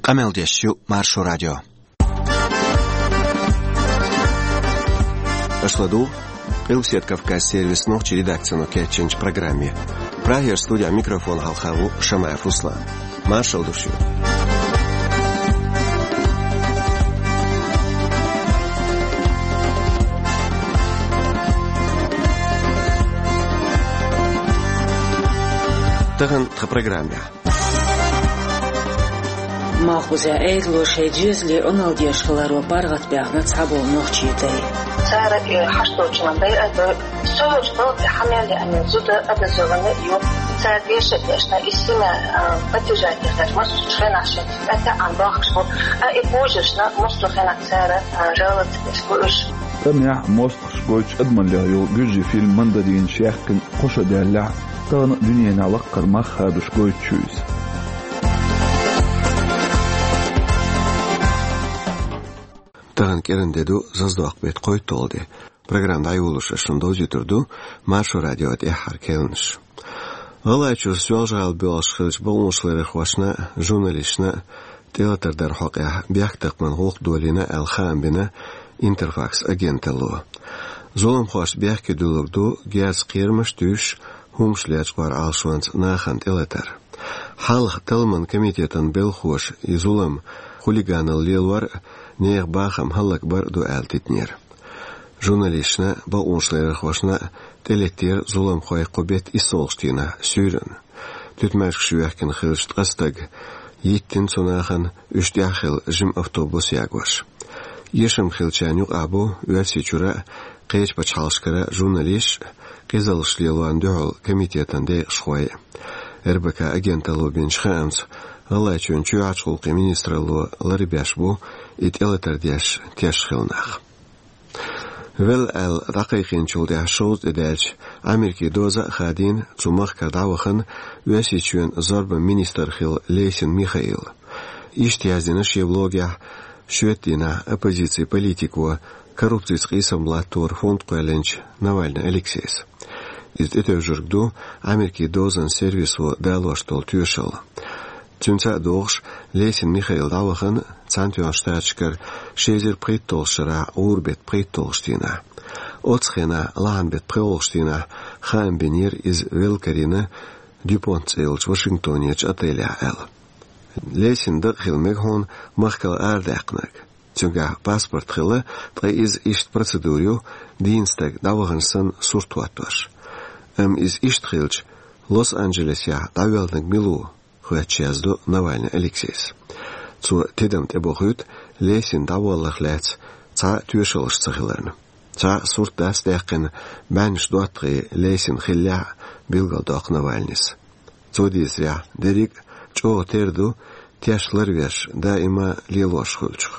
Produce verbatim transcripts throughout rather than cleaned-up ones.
Къамел деш ю Маршо радио. Аша ладугӀу Къилбаседа Кавказ сервисан нохчийн редакцино кечйинчу программе. Прагера студехь микрофон хьалха ву Шамаев Руслан. Маршалла ду шуьга. Тахана тхан программехь. Малхбузехь Ӏедало шайн доьзале Ӏуналла деш хиларо паргӀатбаьхна цхьаболу нохчийн дай. Цара и хьашт долчунна дай а дой, со йолчу балхе хьан мел яа мел зуда а даза ван а ю. Цара деша а дешна, и сина, а, поддержать деш дац, массо а хенахь шен цӀа таьӀӀан бахаш бу, а и божаршна массо а хенахь цара, а, жаловаться деш бу уьш. ТӀамехь мостагӀаш гойтуш адамаллех йолу гуьржийн фильм «Мандаринаш» яьккхина кхо шо даьллехь, тахана дуьненахь лаккхара мах хадош гойтуш ю иза. Тахана кӀиран де ду, зазадоккху беттан кхойтталгӀа де. Программа дӀайолош ас шуна довзуьйтур ду Маршо радион тӀаьххьара кхаьънаш. ГӀалгӀайчуьра Соьлжа-ГӀала боьлхуш хиллачу бакъонашларъярхошна а, журналисташна а тӀелатар дар хьокъехь бехктакхаман гӀуллакх долийна аьлла хаам бина «Интерфакс» агенталло. Зуламхошца бехке дуьллург ду герзан кхерамаш а туьйсуш, хӀуманаш лечкъор Ӏалашонца нахана тӀелатар. Хьалха талламан комитетан белхалоша и зулам хулиганалла лелор а, нехан бахам хӀаллакбар а ду аьлла тидинера. Журналисташна а, бакъонашларъярхошна а тӀелеттера зуламхой кху беттан иссалгӀачу дийнахь суьйранна. Туьтмаьжгаш йоьхкина хиллачу ткъа стага йиттина цу нахана, уьш тӀехь а хилла жима автобус ягош. Эшам хиллачарна юкъахь бу Оьрсийчуьра а, кхечу пачхьалкхашкара а журналисташ а, къизаллаш лелорна дуьхьал комитетан декъашхой а. РБК агенталло бинчу хаамца, ГӀалгӀайчоьнан чоьхьарчу гӀуллакхийн министралло ларбеш бу и тӀелатар деш теш хилла нах. Велла аьлла дӀакхайкхийначул тӀаьхьа шовзткъа тӀе даьлча, Америкин доза а хадийна цу махкара дӀавахана Оьрсийчоьнан зорбан министр хилла Лесин Михаил. Иштта яздина шен блогехь шоьтан дийнахь оппозицин политико, коррупцица къийсам латтор фонд кхоьллинчу Навальный Алексейс. Иза тӀетевжарг ду Америкин дозан сервисо далош долу тоьшалла. Цуьнца а догӀуш, Лесин Михаил дӀавахана Цхьаьнатоьхначу Штаташкара ши эзар пхийтталгӀачу шарахь гӀуран беттан пхийтталгӀачу дийнахь. Оццу хенахь, лахьан беттан пхоьалгӀачу дийнахь, хаам бинера иза велла карийна Дюпонт цӀе йолчу Вашингтонерчу отелехь аьлла. Лесин дакъа хила мега хьуна махкал арадаьккхинарг. Цуьнгахь паспорт хилла, ткъа иза иштта процедура ю, дийна стаг дӀавахана санна сурт хӀоттош. Амма иза иштта хилча, Лос-Анджелесехь дӀавоьллинарг мила ву? — хоьттуш яздо Навальный Алексейс. Цо тидам тӀебохуьйту Лесин дӀаволларх лаьцна цхьа а тоьшаллаш ца хиларна. Цхьа а сурт дац даьккхина, бӀеннаш доттагӀий Лесин хиллехь а, билгалдоккху Навальныйс. Цо дийцарехь, дерриг а чӀогӀа тера ду теш ларвеш даима лелош хуьлучух.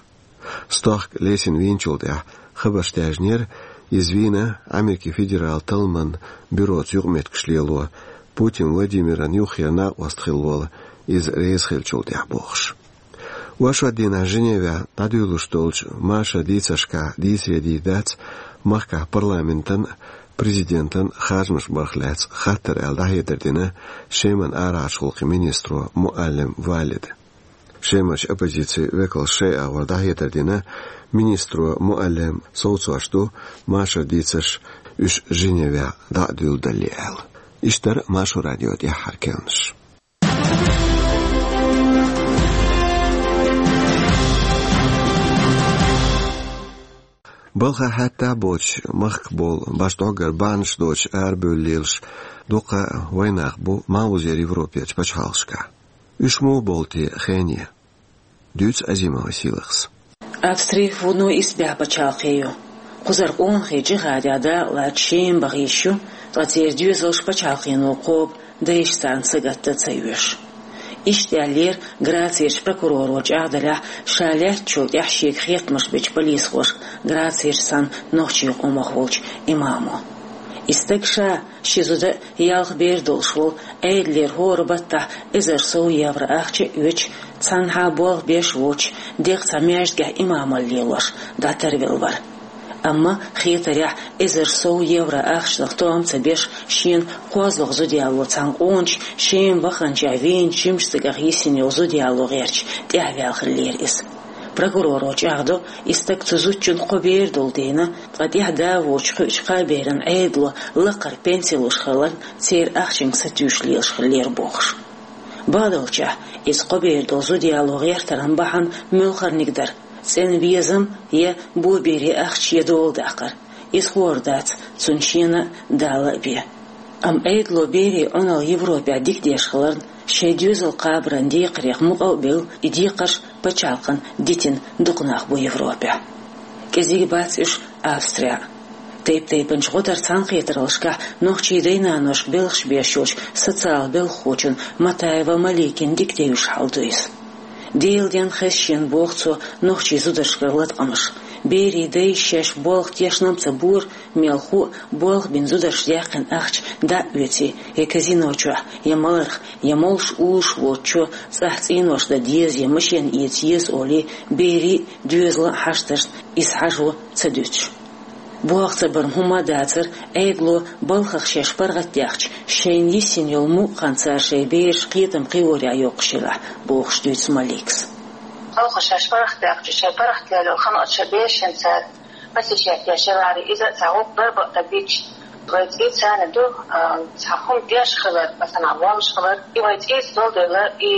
Стохка Лесин вийначул тӀаьхьа хабарш даьржинера, иза вийна Америкин федералан талламан бюроца юкъаметтигаш лело, Путин Владимиран юххера накъост хилла волу иза реза хиллачул тӀаьхьа бохуш. Оршот дийнахь Женевехь дӀадуьйлалуш долчу машаран дийцаршкахь дийцаре дийр дац махкахь парламентан а, президентан а харжамаш барх лаьцна хаттар аьлла дӀахьедар дина Шеман арахьарчу гӀуллакхийн министро Муаллем Валида. Шемарчу оппозицин векалша шайн агӀор дӀахьедар дина, министро Муаллем совцош ду машаран дийцарш уьш Женевехь дӀа а дуьйладалале аьлла. Иштта дара Маршо радион тӀаьххьара кхаьънаш. Балхахь хьаьттахь а боцуш, махкахь болу башха дӀоггара бахьанаш доцуш арабевлла лелаш дуккха а вайнах бу Малхбузера Европерчу пачхьалкхашкахь. Уьш муха болу те хене? Дуьйцу Азимова Сийлахьас. Австри вуно исбаьхьа пачхьалкх ю. Кхузара къонахий джихадехь дакъалаца Шема баха йиш ю, ткъа церан доьзалш пачхьалкхено кхобу, дайша царна сагатдан ца оьшу. Иштта аьллера Грацерчу прокуроро чӀагӀделлехь, ша лаьттачул тӀаьхьа шега хеттамаш бечу полисхошка Грацерчу цхьана нохчийн къомах волчу имамо. И стаг ша, шен зуда а, ялх бер долуш волу, Ӏедалера хӀора баттахь эзар сов евро ахча а оьцуш, цхьанхьа болх беш воцуш, дегӀ цхьа маьждигехь имамалла лелош дӀатарвелла вара. Амма хетарехь, эзар сов евро ахчанах тоам ца беш, шена кхозлагӀа зуда яло цхьана къоначу Шема ваханчохь вийначу жимачу стагах йисина йолу зуда яло гӀерташ тӀаьхьаваьлла хиллера иза. Прокуроро чӀагӀдо, и стаг цу зудчунна кхо бер долу дийна, ткъа тӀаьхьа да воцуш кхуьучу кхаа беран Ӏедало лакхара пенси луш хиларна, церан ахчанга сатуьйсуш лелаш хиллера бохуш. Бакъдолчехь, иза кхо бер долу зуда яло гӀертаран бахьана муьлхарниг дара: цӀена везам я бобере ахча я дола даккхар. Иза хӀора дац, цунна шена а Дала а бен. Амма Ӏедало берийн Ӏуналла Европехь дика деш хиларна, шайн доьзал кхабаран декхарех мукъа а белла, и декхарш пачхьалкхана дитина дукха нах бу Европехь. КӀезиг бац уьш Австрехь а. Тайп-тайпанчу гӀо даран цхьаьнакхетараллашкахь нохчийн дай-наношка белхаш беш йолчу социал белхахочун Матаева Маликин дика девзаш хьал ду иза. Делан денна хезна шена, боху цо, нохчийн зударшкара латкъамаш. Берийн дайша шаьш болх тешнам ца бора, мелхо а, болх бина зударша даьккхина ахча дӀа а оьций, я казино чохь, я маларх, я молуш уллуш воцучо цӀахь цӀенош дан деза я машен эца еза олий, берийн а, доьзалан а хьашташна иза хьажо ца дуьтуш. Болх ца баран хӀума а дацара, Ӏедало балхах шаьш паргӀатдаьхча, шайна йисина йолу мукъа хан цара шайн бераш кхетам кхиорехь йоккхуш елахь, бохуш дуьйцу Маликас. Балхах шаьш паргӀатдаьхча, шайн паргӀатдаьлла йолу хан оцу шайн берашна цара пасашек деш елахьара, иза а цхьа гӀуллакх дарба а дан бича. Вай цӀий царна ду, а, цхьа хӀума деш хилар, масала, воллуш хилар, и вай цӀийца долу дела, и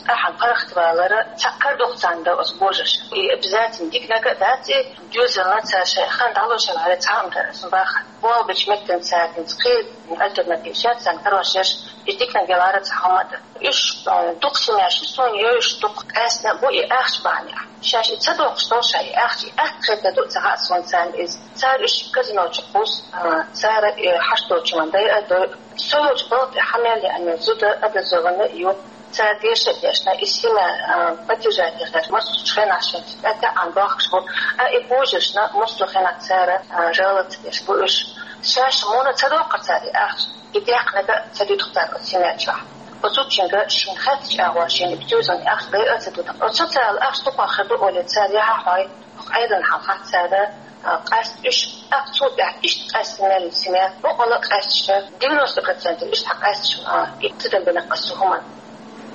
тӀаьхьа паргӀатвалар цхьа кара ду-кх царна дан оцу божарша. И обязательно диканиг а дац и, доьзална цара шайн хан дӀалуш хилахьара цхьа а хӀума дара, аса бахара. Болх бечу меттана цара хӀинца кхин альтернатива шаьш царна карош еш, и диканиг елахьара цхьа хӀума а дан. Уьш, а, дукха семьяш ю суна йовзуш, дукха къаьстина а бу и ахча бахьанехь. Шаьш и ца доккхуш долу ша и ахча, и атта хета ду а ца хаьа суна царна иза. Цара уьш казино чу кхуссу, а, цара и хьашт долчунна дайа а дойу. Со йолчу балха тӀе хьан мел яьхна зуда образованный а ю. Цара деша а дешна, и семья, а, поддержать деш, массо а хенахь шайн цӀе тӀехь а бохкуш бу. А и божаршна массо а хенахь цара, а, жаловаться деш бу уьш. Шаьш муна ца доккхура цара и ахча, и декхниг а ца дуьту-кх цара оцу семья чохь. Оцу зудчуьнга шена хеттачу агӀор шена и доьзална ахча дайа а ца дуьту. Оцу социал ахча дукха хир ду олий цара яхьа хьой, хӀокху Ӏедална хьалха цара, а, къаьстина уьш, тӀаккха цул тӀаьхьа иштта къаьстина мел семья, бакъволуш а къаьстича, девяносто процентов иштта къаьстича, а, и ца дан бина аса цу хӀуманна.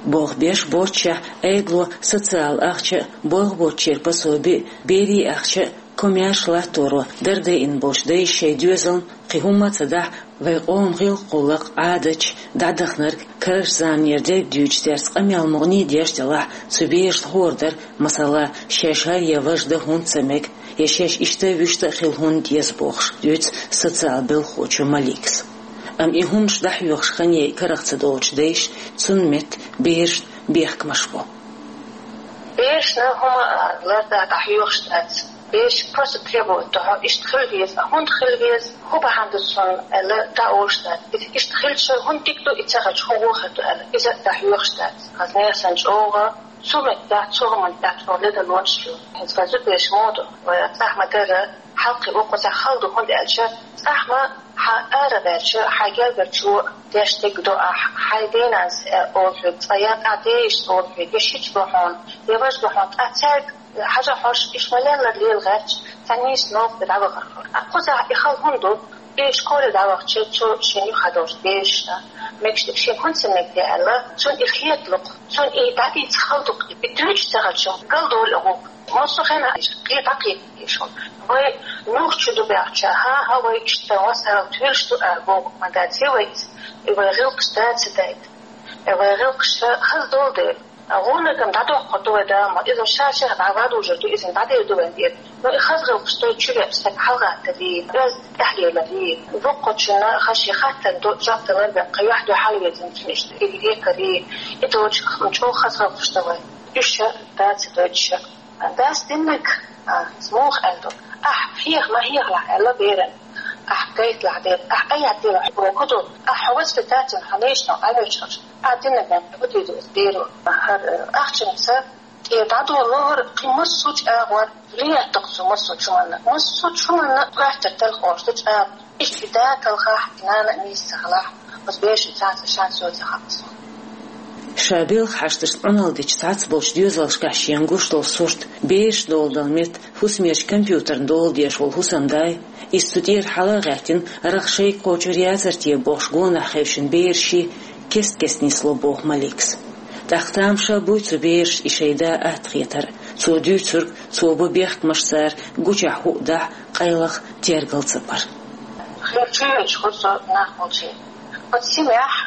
Болх беш боццушехь, Ӏедало социал ахча а, болх боцучеран пособи а, берийн ахча а, комаьрша латторо дарба дайина болчу дайша шайн доьзална кхин хӀумма а ца дахь, вайн къоман гӀиллакх-гӀуллакх, Ӏадаташ, дӀадаханарг, карарчу заманера дерг дуьйцуш, цаьрца къамел мукъане а деш делахь, цу берашна хӀора дара, масала, шаьш хӀара я важа дан хӀунда ца мега, я шаьш иштта а, вуьшта а хила хӀунда деза бохуш, дуьйцу социал белхахочо Маликас. Амма и хӀуманаш дӀахьоьхуш хан яйа карах ца долчу дайша, цунна метта берашна бехкамаш бо. Берашна хӀума, а, лардан дӀахьоьхуш дац. Бераш просто требовать до хьо, иштта хила веза, а хӀунда хила веза, хӀун бахьана ду цунна аьлла, дӀа олуш дац. Иза иштта хилча, хӀунда дика ду, и ца хилча, хӀун гӀо хир ду аьлла, иза а дӀахьоьхуш дац. Хаза нехан санна чӀогӀа цу меттехь, цу хӀуманна тӀехь чӀогӀа ледан лонаш ю. ХӀинца вайн зудчуьнан мотт, вай цӀахь ма-дарра, хьалкхе вукхузахь хала ду, хӀунда аьлча, цӀахь ма хьан ара ваьлча, хьайн гергара чу деш дерг до ахь, хьайн денанас, э, олу хьоьга, цкъа я тӀаьхьа ден йиша олу хьоьга, я шича ло хьуна, я важа ло хьуна, ткъа цаьрга хьажа хьожуш, иша ма-леллара лела гӀерташ, цхьа нийса новкъа тӀе дӀавахара хьо. Ткъа кхузахь и хала хӀунда ду? Бераш корера дӀавахча, цо шен юххе долчу берашна, мегаш дерг шена хӀунда ца мега те аьлла, цунна и хетало-кх, цунна и дӀадийца хала ду-кх, и дуьйцуш ца хилча, галдолу а гӀуллакх. Массо а хенахь иштта кхе дӀакхеташ шу. Вай нух чу ду баьхча, хӀан-хӀа, вай иштта васал туьллуш ду аьлла бохург ма дац вай иза. И вай гӀиллакхаш дац дайта. И вай гӀиллакхаш хаза долу дела. ГӀурнигам дӀадоккхур ду вай Дала ма, иза ша-шех дӀавадужур ду, иза дӀадер ду вайн тӀера. Ну, и хаза гӀиллакхаш дай чуьра стаг хьалагӀаттаре, оьзда тӀаьхьалеларе, вукхучунна хаза шен хаттарна ду жоп далар бен, кхин юьхь-дуьхьал веза цунна иштта, и декаре, и долчу чӀогӀа хаза гӀиллакхаш ду вайн. Уьш ша дац дойтуш. Дас диннарг, а, муха аьлла ду: «Ахь хьеха ма хьехалахь», — аьлла берана. «Ахь гайталахь дера, ахь айхьа дела хьо ку ду, ахь хьо воспитательно хьо лечно Ӏамоьчхьаш, ахь диннарг вайн хӀу дийр ду иза беро». ХӀара, э, ахчанца тӀе дӀадолалора кхин массо а чӀагӀор, влиять ду-кх цо массо а чу манна. Массо а чу манна коьртара телха ош ду чӀагӀо. Иштта и да талхахь, и нана а нийса ца хилахь, оцу берашна цхьацца шанс йо ца хаьа суна. Ша белха хьашташна Ӏуналла дича цхьацца болчу доьзалшкахь шена гуш долу сурт, бераш доладала метта хӀусамерчу компьютерна дола деш волу хӀусамда, иза цу тӀера хьала а гӀаьттина, рагӀ шайга кхочур яцара те бохуш гонах хевшина бераш, кест-кеста нисло боху Маликас. ТӀаккха тамаша буй цу берашна и шайн да атта хетар, цо дуьйцург, цо бу бехкамаш цара гучехь хӀуъа дахь, къайлаха тергал ца пара. Хьо чуьйрачу хӀусо нах волчий. Оцу синехь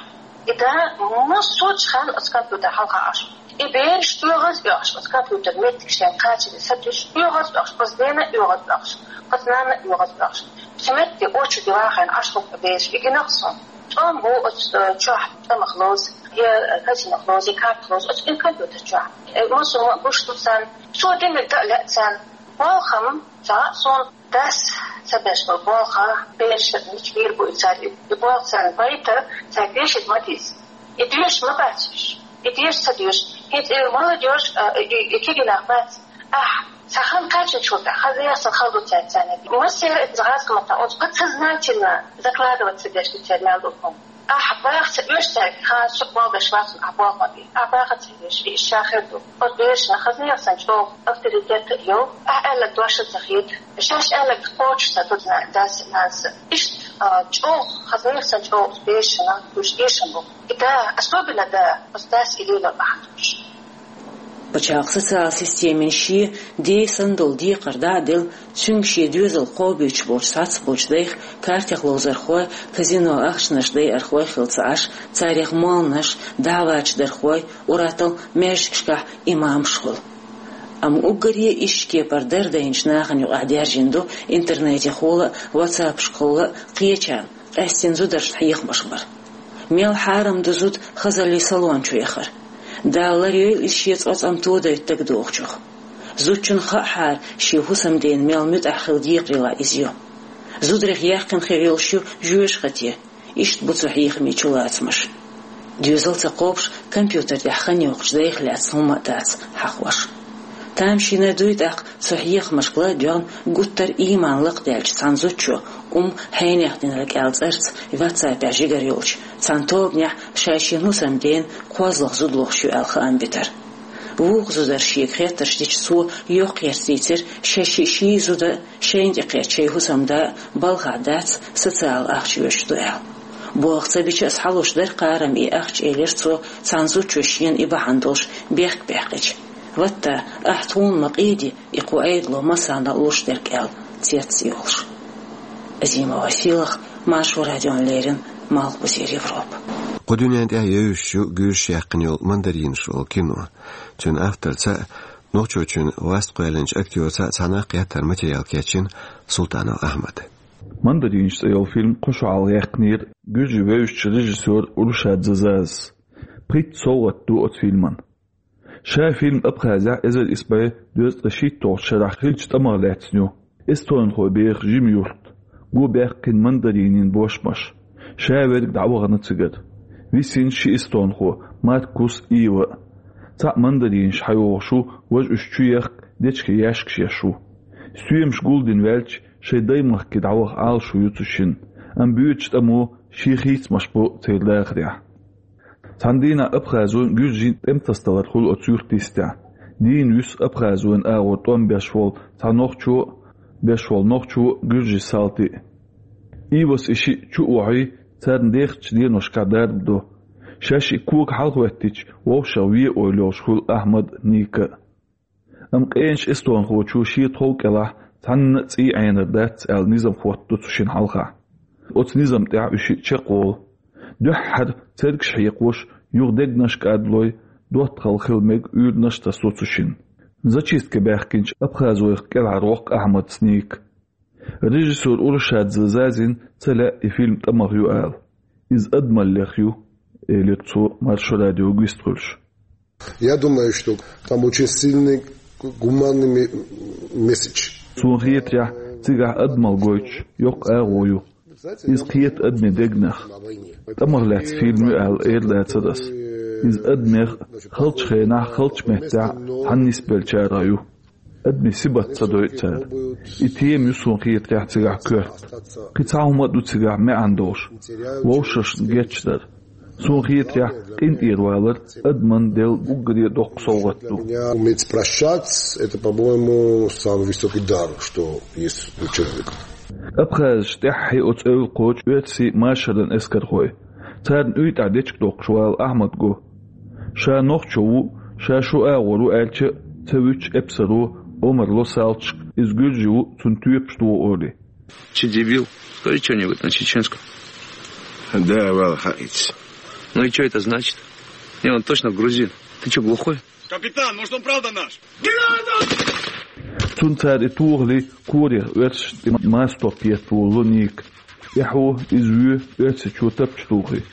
и да массочу хан оцу компьютер хьалха Ӏаш. И бераш оьгӀаз оьхуш, оцу компьютер меттиг шайн кхачаре сатуьйсуш, оьгӀаз оьхуш, оцу дена оьгӀаз оьхуш, оцу нана оьгӀаз оьхуш. Цу метте очереде вахийна Ӏаш хӀокху бераш, и гина-кх суна. ТӀом бу оцу, э, чохь тӀамах ловза, я, э, казинох ловза, я карта ловза, оцу и компьютер чохь. Э, массо а гуш ду царна, цо динарг дан а лаьа царна. Болх-м ца хаьа суна. Дас ца беш болу болх берашна мича бийр бу и цара, и болх царна байта, цара тешийта ма деза. И доьшуш ма бац уьш. И доьшуш ца доьшу. ХӀинца и молодёжь, а, и, и кегий нах бац. Ахь, цхьа хан кхаччалц тӀе, хаза яхсан хала ду цаьрца царна. Массеран а иза гӀазкхи маттахь, оцу подсознательно закладывать ца деш ду церан мел долу хӀума. Ахь баха ца оьшу цаьрга, хан, со болх беш вац, ахь болх ма бе. Ахь баха ца оьшу, и ша хир ду. Оцу берашна хаза яхсан чӀогӀа авторитет а йо, ахь аьлларг дош а ца хета. Шаьш аьлларг кхочуш ца ду дас а, нанас а. Иштта, а, чӀогӀа хаза яхсан чӀогӀа берашна гуш дешна бу. И да, особенно да, оцу дас и лело бахьана долуш. Пачхьалкхан социалан системин шен ден санна долу декхар дӀа а делла, цуьнга шен доьзал кхобуьйтуш болчу цхьацца болчу дайх картех ловзархой, казино ахчанаш дайархой хилла ца Ӏаш, царех молланаш, дӀавачдархой, ур-атталла маьждигашкахь имамаш хуьлу. Амма уггаре иштта кепара дардайначу нахана юкъахь даьржина ду интернетехула а, ватсаппашкахула а кхечарна, къаьстина зударшна хьехамаш бар. Мел хьарам ду зуда хазаллин салон чу яхар. Дала ларйойла иза шен цӀоцкъам тодайта дагадогӀучух. Зудчунна хаахьара шен хӀусамдена мел муьтӀахь хила декхарийлахь иза ю. Зударех яьккхина хир йолуш ю жоьжахати. Иштта бу цу хьехамийн чулацамаш. Доьзал ца кхобуш, компьютер тӀехь хан йоккхучу дайх лаьцна хӀумма а дац хьахош. Тамашийна дуй тӀаккха цу хьехамашка ладоьгӀна гуттар а ийман лакхадаьллачу цхьана зудчо, ум хьенех динарг аьлла цӀарца, ватсапехь жигара йолчу цхьана тобанехь ша шен хӀусамдена кхозлагӀа зуда лохуш ю аьлла хаам битар. Вукху зудара шега хеттарш дича цо йоккхаерца дийцира, шаьш ши зуда а, шайна тӀекхетта шайн хӀусамда а балхахь дац социалан ахча оьшуш ду аьлла. Болх ца бича а схьалуш дара кхарам и ахча, элира цо, цхьана зудчо шена и бахьана долуш бехк баьккхича. Ватта, ахь тхуна ма къеди, и кху Ӏедало массарна а луш дерг аьлла, цецйолуш. Азимова Сийлаха, Маршо радиона леррина, Малхбузера Европа. Кху дуьнен тӀехь евзаш ю гуьржаша яьккхина йолу «Мандаринаш» олу кино. Цуьнан авторца а, нохчочун васт кхоьллинчу актёрца а цхьаьна кхеттар материал кечйина Султанов Ахьмада. «Мандаринаш» цӀе йолу фильм кху шо хьалха яьккхинера гуьржийн вевзачу режиссёра Урушадзе Зазас. Пхийтта совгӀат ду оцу фильман. Ша фильм Абхазехь эзар исс бӀе дезткъе шийтталгӀачу шарахь хиллачу тӀамах лаьцна ю. Эстонхой беха жима юрт, го баьккхина мандаринийн бошмаш. Ша верг дӀавахана цигара. Висина ши эстонхо: Маркус, Ива. Цхьаъ мандаринаш хьайогӀуш ву, важа уьш чу яхка, дечкен яьшкаш еш ву. Стоьмаш гулдина ваьлча, шайн даймахке дӀаваха Ӏалашо ю цу шинна, амма боьдучу тӀамо шен хийцамаш бу церан дахарехь. Цхьана дийнахь абхазойн, гуьржийн тӀематасадалар хуьлу оцу юьртан йистехь. Дийна вуьсу Абхазойн агӀор тӀом беш волу цхьа нохчо а, беш волу нохчо а, гуьржийн салти а. Ивас и шиъ чу а вохьий, царна дехачу деношкахь дарба до. Шаьш и кога хьалахӀоьттича, вовшах ве ойла йолуш хуьлу Ахьмад а, Ника а. Амма къеначу эстонхочо шен тхов кӀелахь цхьанна а цӀий Ӏенар дац аьлла низам хӀоттадо цу шинна хьалха. Оцу низам тӀехь уьш чекхволу. Дуьххьара цергаш хьекхош, юха дегнаш кӀадлой, доттагӀалла хила мега уьйранаш а тасо цу шинна. Зачистке баьхкинчу абхазойх кӀелхьарвоккху Ахьмадца Ника. Режиссёр Урушадзе Зазина ца лаьа и фильм тӀамах ю ала. Иза адамаллех ю, элира цо Маршо радиога вистхуьлуш. Я думаю, что там очень сильный гуманный ме-, месседж. Суна хетарехь, цигахь адамалла гойтуш йоккха агӀо ю. Иза кхета адамийн дегнех. ТӀамах лаьцна фильм ю аьлла эр дацара ас. Иза адамех халчу хенахь, халчу меттехь цхьаьна нисбеллачарах ю. Адамийн сибат ца дойу цара. И тема ю суна хетарехь цигахь коьрта. Кхин цхьа хӀума а ду цигахь маьӀна долуш. Вовшашна гечдар. Суна хетарехь, къинтӀера валар адамна делла уггаре а доккха совгӀат ду. Для меня уметь прощать — это, по-моему, самый высокий дар, что есть у человека. Абхазаш тӀаьххье оцу эвла кхочу оьрсийн машаран эскархой. Царна уьйтӀахь дечиг доккхуш вала Ахьмад го. Ша нохчо ву, ша шу агӀор ву аьлча, ца вуьтуш эпсаро Омар ло салташка, иза гуьржи ву, цунна тоьпаш догӀу олий. Че дебил? Скажи что-нибудь на чеченском. Да, вала хаиц. Ну и что это значит? Не, он точно грузин. Ты что, глухой? Капитан, может, он правда наш? Цунна цара и тохале, корех оьрсашна тӀе мастор петта волу Ника. Эхьо, иза вуьйцу оьрсичо тапча тухий.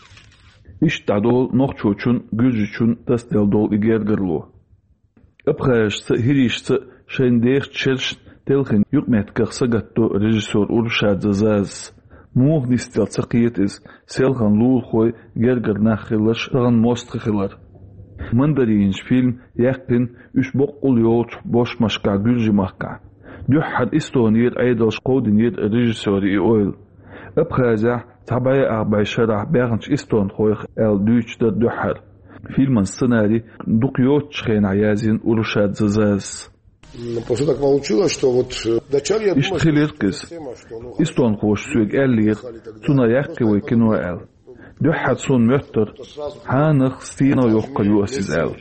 Иштта дӀадолу нохчочун, гуьржичун тасаделла долу и гергарло. Абхазашца а, хӀирийшца а шайн дехачу шерашна телхина юкъаметтигах сагатдо режиссёр Урушадзе Зазас. Муха нисделла ца кхета иза, селхана лулахой, гергара нах хиларш, тахана мостагӀий хилар. «Мандаринаш» фильм яьккхина уьш боккъал йолчу бошмашкахь, Гуьржийн махкахь. Дуьххьара Эстонера Ӏедалша кховдийнера режиссёран и ойла. Абхазехь цхьа бӀе ах бӀе шарахь баьхначу эстонхойх аьлла дуьйцуш дара дуьххьара. Фильман сценарий дукха йоцучу хенахь язйина Урушадзе Зазас. Просто так получилось, что вот, э, вначале я думал, что... Иштта хилира иза. Эстонхоша соьга аьллера, цунах яьккхи вай кино аьлла. Дуьххьара суна моьттура, хьанах, стенах йоккхур ю ас иза аьлла.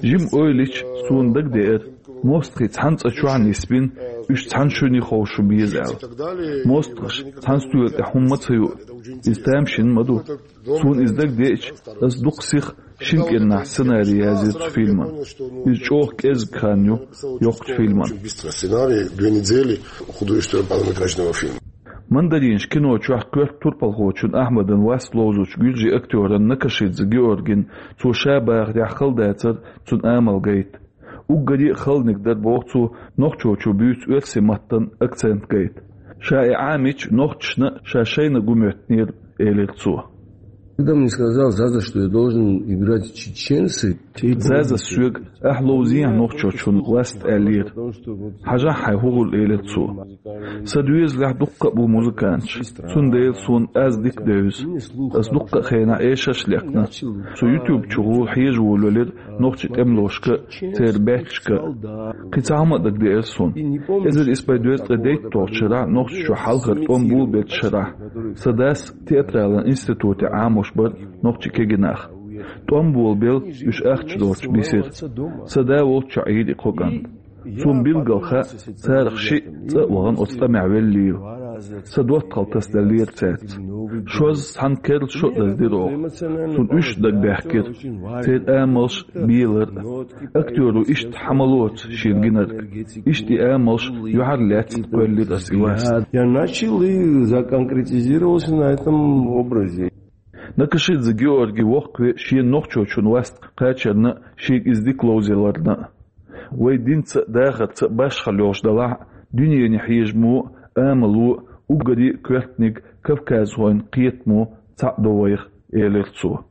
Жима ойла йича, суна дагадеара, мостагӀий цхьана цӀа чохь нисбина, уьш цхьана шуьне ховшу беза аьлла. МостагӀаша цхьана стоьла тӀехь хӀумма а ца юу, иза тамашийна ма ду. Суна иза дагадеача, ас дукха сиха шина кӀирнахь сценарий язйира цу фильман. Иза чӀогӀа кӀезиг хан ю йоккхачу фильман. Очень быстрый сценарий, две недели художественного полнометражного фильма. «Мандаринаш» кино чохь коьрта турпалхочун Ахьмадан васт ловзучу гуьржийн актёран Накашидзе Георгин, цо ша бахарехь хала дацара цуьнан амал гайта. Уггаре а халаниг дара, боху цо, нохчочо буьйцу оьрсийн маттан акцент гайта. Ша и Ӏамийча, нохчашна а, ша шайна а гу моьттинера, элира цо. Когда мне сказал Заза, что я должен играть чеченца, Зазас соьга, ахь ловзехьа нохчочун васт аьллера. Хьажахь хьайн хӀун хуьлу, элира цо. Сан доьзалехь дуккха а бу музыканташ, цундела суна аз дика девза. Ас дуккха а хенахь эшарш а лекхна. Со YouTube чухула хьежа волавелира нохчийн тӀемалошка а, церан баьччашка а. Кхин цхьа хӀума а дагадеара суна. Эзар исс бӀе дезткъе дейтталгӀачу шарахь Нохчийчохь хьалхара тӀом болабеллачу шарахь сан дас театралан институтехь Ӏамош бара нохчийн кегий нах. ТӀом болабелла уьш ахча доцуш бисира. Сан да волччохь Ӏийра и кхо кӀант. Суна билггал хаьа, царах шиъ цӀа а вахана оцу тӀамехь веллийла. Сан доттагӀалла тасаделлера цаьрца. Шозза цхьана керла шо а даздира оха. Суна уьш а дагабаьхкира, церан амалш а, белар а. Актёро иштта хьан ма лоцу шена гинарг. Иштта и амалш юьхьарлаьцна кхоьллира ас и васт. Я начал и законкретизировался на этом образе. Накашидзе Георгий воккхаве шена нохчочун васт кхачарна а, шега иза дика ловзияларна а. Вай динца а, дахарца а башхалла йолуш делахь а, дуьнене хьежамо а, амало а, уггаре а коьртаниг кавказхойн кхетамо цхьаъ до вайх, элира цо.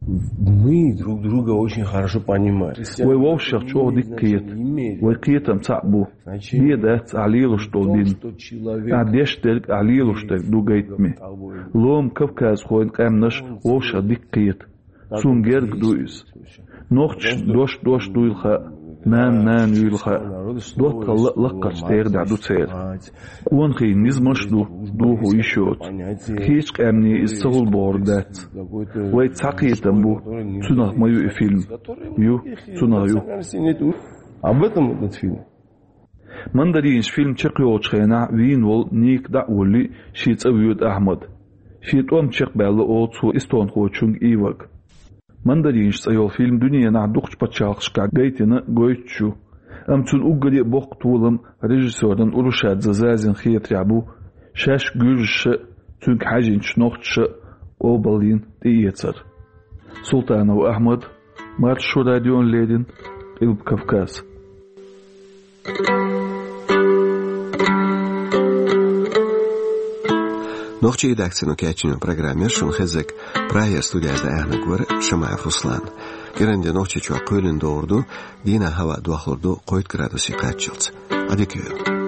Мы друг друга очень хорошо понимаем. Вай вовшашах чӀогӀа дика кхета. Вай кхетам цхьаъ бу. Бен дац ахь лелош долу дин. Ахь деш дерг, ахь лелош дерг ду гайтаме. Лома кавказхойн къаьмнаш вовшашах дика кхета. Суна герга ду иза. Нохчашна дош дош дуйла хаьа, нана нана юйла хаьа. ДоттагӀалла а лаккхарчу тӀегӀанехь ду церан. Къонахий низамаш а ду, дохо йиш йоцу. Кхечу къаьмнийн иза ца хуьлу бохург дац. Вай цхьа кхетам бу, цунах ма ю и фильм. Ю, цунах ю. Об этом этот фильм. «Мандаринаш» фильм чекхйолучу хенахь вийна волу Ника дӀа а воллий, шен цӀа воьду Ахьмад. Шен тӀом чекхбаьлла олу цо эстонхочуьнга Ивага. «Мандаринаш» цӀе йолу фильм дуьненахь дукхачу пачхьалкхашкахь гайтина а, гойтуш а ю. Амма цуьнан уггаре а боккха толам режиссёран Урушадзе Зазин хетарехь бу, шаьш гуьржаша а, цуьнга хьаьжинчу нохчаша а къобалйина тӀеэцар. Султанов Ахьмад, Маршо радиона леррина, Къилба Кавказ. Нохчийн редакцино кечйина программа яра шуна хезнарг. Прагера студехь даьхнарг вара Шамаев Руслан. КӀиранде Нохчийчохь кхоьлина догӀур ду, дийнахь хӀаваъ дохлур ду кхойтта градусе кхаччалц. Ӏадика йойла.